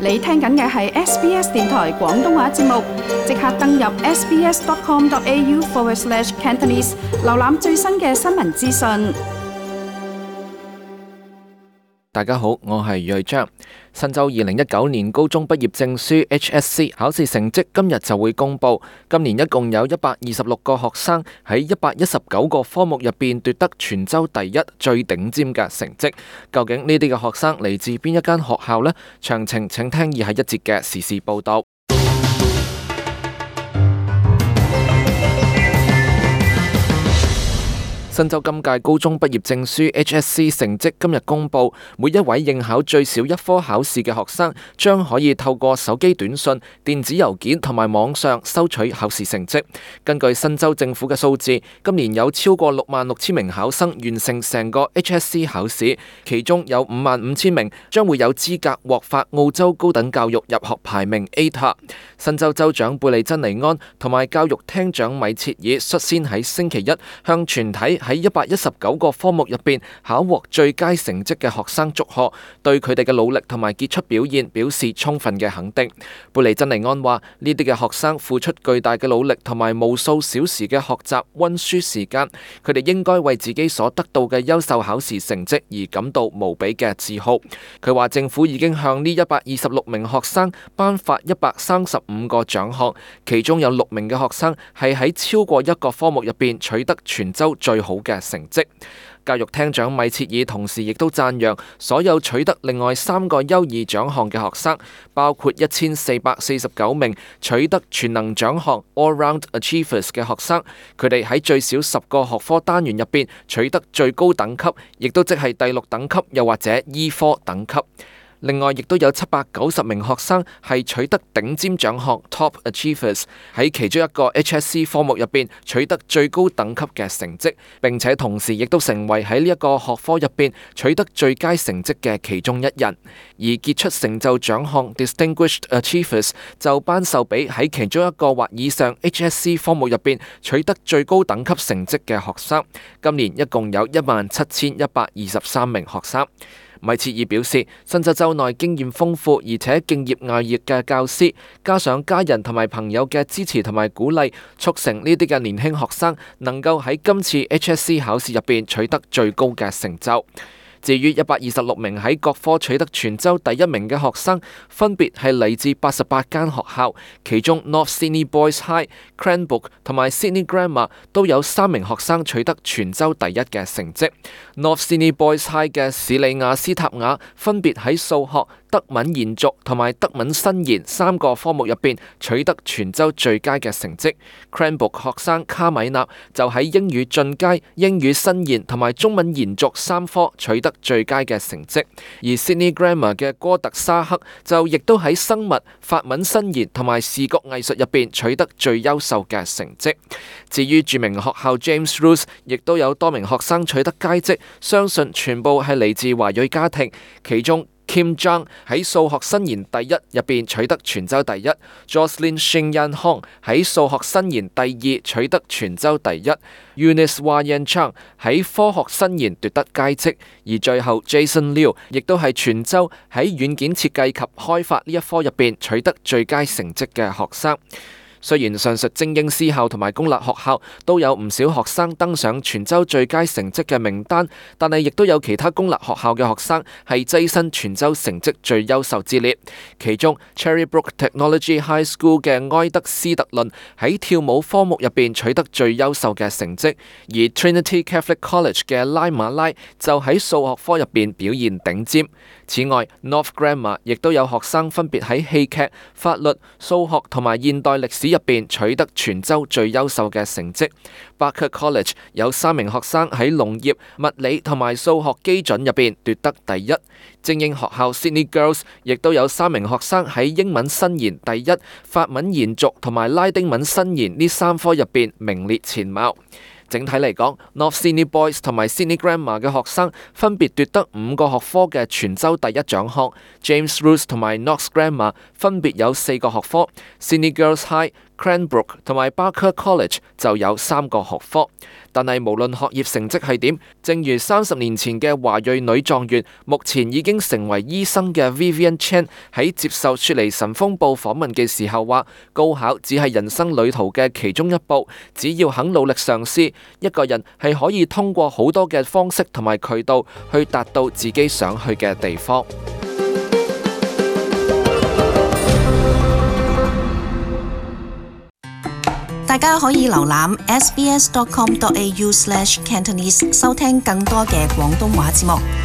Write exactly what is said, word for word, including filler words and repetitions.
你聽緊嘅係 S B S 電台廣東話節目，即刻登入 sbs.com.au forward slash Cantonese， 瀏覽最新嘅新聞資訊。大家好，我係瑞章。新州二零一九年高中畢業證書 H S C 考試成績今日就會公佈。今年一共有一百二十六個學生喺一百一十九個科目入邊奪得全州第一最頂尖嘅成績。究竟呢啲嘅學生嚟自邊一間學校呢？詳情請聽以下一節嘅時事報導。新州今屆高中畢業證書 H S C 成績今日公佈，每一位應考最少一科考試嘅學生將可以透過手機短信、電子郵件同埋網上收取考試成績。根據新州政府嘅數字，今年有超過六萬六千名考生完成成個 H S C 考試，其中有五萬五千名將會有資格獲發澳洲高等教育入學排名 A T A。新州州長貝利珍尼安同埋教育廳長米切爾率先喺星期一向全體喺一百一十九個科目入邊考獲最佳成績嘅學生祝賀，對佢哋嘅努力同埋傑出表現表示充分嘅肯定。貝利珍尼安話：呢啲嘅學生付出巨大嘅努力同埋無數小時嘅學習溫書時間，佢哋應該為自己所得到嘅優秀考試成績而感到無比嘅自豪。佢話政府已經向呢一百二十六名學生頒發一百三十五個獎項，其中有六名嘅學生係喺超過一個科目入邊取得全州最好嘅成績。教育廳長米切爾同時亦都讚揚所有取得另外三個優異獎項嘅學生，包括一千四百四十九名取得全能獎項 All Round Achievers 嘅學生，佢哋喺最少十個學科單元入邊取得最高等級，亦都即係第六等級，又或者醫科等級。另外，亦都有七百九十名學生係取得頂尖獎項 Top Achievers， 喺其中一個 H S C 科目入邊取得最高等級嘅成績，並且同時亦都成為喺呢一個學科入邊取得最佳成績嘅其中一人。而傑出成就獎項 Distinguished Achievers 就頒授俾喺其中一個或以上 H S C 科目入邊取得最高等級成績嘅學生。今年一共有一萬七千一百二十三名學生。米切爾表示，新州州內經驗豐富而且敬業樂業嘅教師，加上家人同埋朋友嘅支持同埋鼓勵，促成呢啲嘅年輕學生能夠喺今次 H S C 考試入邊取得最高嘅成就。至於一百二十六名喺各科取得全州第一名嘅學生，分別係嚟自八十八間學校，其中 North Sydney Boys High、Cranbrook 同埋 Sydney Grammar 都有三名學生取得全州第一嘅成績。North Sydney Boys High 嘅史里亞斯塔雅分別喺數學、德文延續同埋德文新言三個科目入邊取得全州最佳嘅成績。Cranbrook 學生卡米納就喺英語進階、英語新言同埋中文延續三科取得最佳嘅成績，而 Sydney Grammar 嘅哥特沙克就亦都喺生物、法文新言同埋視覺藝術入邊取得最優秀嘅成績。至於著名學校 James Roos 亦都有多名學生取得佳績，相信全部係嚟自華裔家庭，其中Kim Jong 喺數學新言第一入邊取得全州第一 ，Jocelyn Shin Yan Hong 喺數學新言第二取得全州第一 ，Eunice Yan Chang 喺科學新言奪得佳績，而最後 Jason Liu 亦都係全州喺軟件設計及開發呢一科入邊取得最佳成績嘅學生。雖然上述精英私校同埋公立學校都有唔少學生登上全州最佳成績嘅名單，但係亦都有其他公立學校嘅學生係躋身全州成績最優秀之列。其中 Cherrybrook Technology High School 嘅埃德斯特倫喺跳舞科目入邊取得最優秀嘅成績，而 Trinity Catholic College 嘅拉馬拉就喺數學科入邊表現頂尖。此外 North Grammar 亦都有學生分別喺戲劇、法律、數學同埋現代歷史入邊取得全州最優秀嘅成績。Barker College 有三名學生喺農業、物理同埋數學基準入邊奪得第一。精英學校 Sydney Girls 亦都有三名學生喺英文新言第一、法文延續同埋拉丁文新言呢三科入邊名列前茅。整體嚟講 ，North Sydney Boys 同埋 Sydney Grammar 嘅學生分別奪得五個學科嘅全州第一獎項 ，James Roos 同埋 Knox Grammar 分別有四個學科 ，Sydney Girls High、Cranbrook 同埋 Barker College 就有三個學科。但係無論學業成績係點，正如三十年前嘅華裔女狀元，目前已經成為醫生嘅 Vivian Chan 喺接受雪梨晨鋒報訪問嘅時候話，高考只係人生旅途嘅其中一步，只要肯努力嘗試，一個人係可以通過好多嘅方式同埋渠道去達到自己想去嘅地方。大家可以瀏覽 s b s dot com dot a u slash cantonese 收聽更多嘅廣東話節目。